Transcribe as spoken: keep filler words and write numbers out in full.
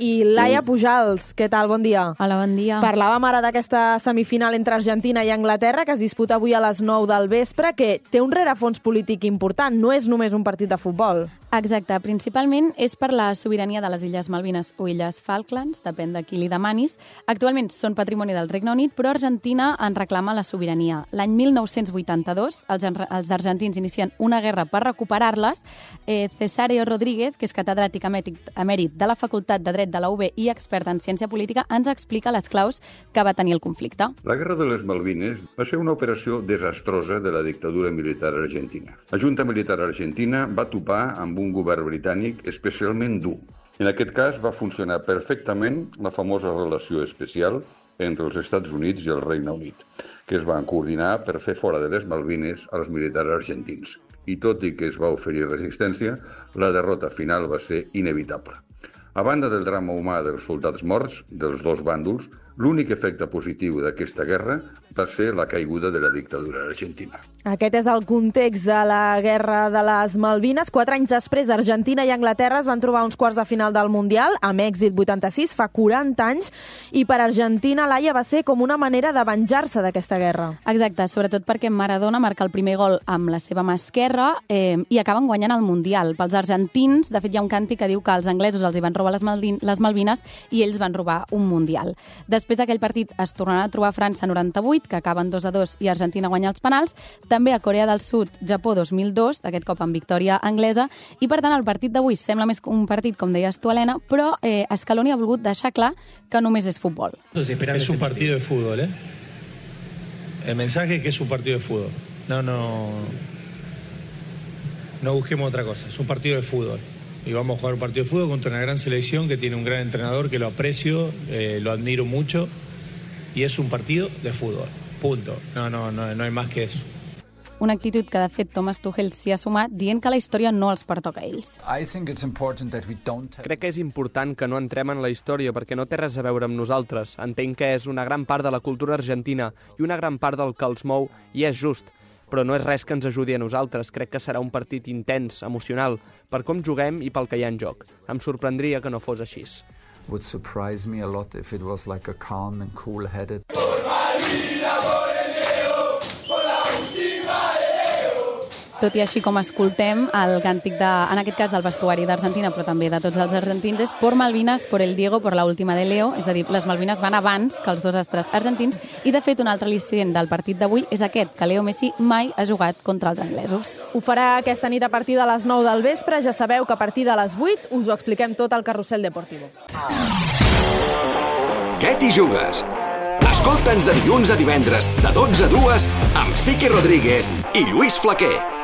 i Laia Pujals. Què tal? Bon dia. Hola, bon dia. Parlàvem ara d'aquesta semifinal entre Argentina i Anglaterra que es disputa avui a les nou del vespre, que té un rerefons polític important, no és només un partit de futbol. Exacte, principalment és per la sobirania de les Illes Malvines o Illes Falklands, depèn de qui li demanis. Actualment són patrimoni del Regne Unit, però Argentina en reclama la sobirania. L'any mil nou-cents vuitanta-dos, els, els argentins inicien una guerra per recuperar-les. Eh, Cesáreo Rodríguez, que és catedràtic emèrit de la Facultat de Dret de la U B i expert en ciència política, ens explica les claus que va tenir el conflicte. La Guerra de les Malvines va ser una operació desastrosa de la dictadura militar argentina. La Junta Militar Argentina va topar amb un govern britànic especialment dur. En aquest cas va funcionar perfectament la famosa relació especial entre els Estats Units i el Regne Unit, que es van coordinar per fer fora de les Malvines als militars argentins. I tot i que es va oferir resistència, la derrota final va ser inevitable. A banda del drama humà dels soldats morts dels dos bàndols, l'únic efecte positiu d'aquesta guerra va ser la caiguda de la dictadura argentina. Aquest és el context de la Guerra de les Malvines. Quatre anys després, Argentina i Anglaterra es van trobar uns quarts de final del Mundial, amb èxit vuitanta-sis, fa quaranta anys, i per Argentina, Laia, va ser com una manera de venjar-se d'aquesta guerra. Exacte, sobretot perquè Maradona marca el primer gol amb la seva mà esquerra eh, i acaben guanyant el Mundial. Pels argentins, de fet, hi ha un càntic que diu que els anglesos els hi van robar les, Malvin les Malvines i ells van robar un Mundial. Després d'aquell partit es tornaran a trobar a França noranta-vuit, que acaben dos a dos i Argentina guanya els penals, també a Corea del Sud, Japó dos mil dos, aquest cop amb victòria anglesa, i per tant el partit d'avui sembla més un partit, com deies tu, Helena, però eh, Scaloni ha volgut deixar clar que només és futbol. Es un partido de fútbol, ¿eh? El mensaje es que es un partido de fútbol. No, no... No busquemos otra cosa, es un partido de fútbol. Y vamos a jugar un partido de fútbol contra una gran selección que tiene un gran entrenador que lo aprecio, eh, lo admiro mucho, y es un partido de fútbol. Punto. No, no, no, no hay más que eso. Una actitud que, de fet, Thomas Tuchel s'hi ha sumat dient que la història no els pertoca a ells. Crec que és important que no entrem en la història perquè no té res a veure amb nosaltres. Entenc que és una gran part de la cultura argentina i una gran part del que els mou, i és just. Però no és res que ens ajudi a nosaltres. Crec que serà un partit intens, emocional, per com juguem i pel que hi ha en joc. Em sorprendria que no fos així. Would surprise me a lot if it was like a calm and cool-headed. Tot i així com escoltem, el càntic, de, en aquest cas del vestuari d'Argentina, però també de tots els argentins, és por Malvinas, por el Diego, por la última de Leo, és a dir, les Malvines van abans que els dos astres argentins, i de fet un altre al·licient del partit d'avui és aquest, que Leo Messi mai ha jugat contra els anglesos. Ho farà aquesta nit a partir de les nou del vespre, ja sabeu que a partir de les vuit us ho expliquem tot al Carrusel Deportivo. Què t'hi jugues? Escolta'ns de dilluns a divendres, de dotze a dues, amb Siqui Rodríguez i Lluís Flaquer.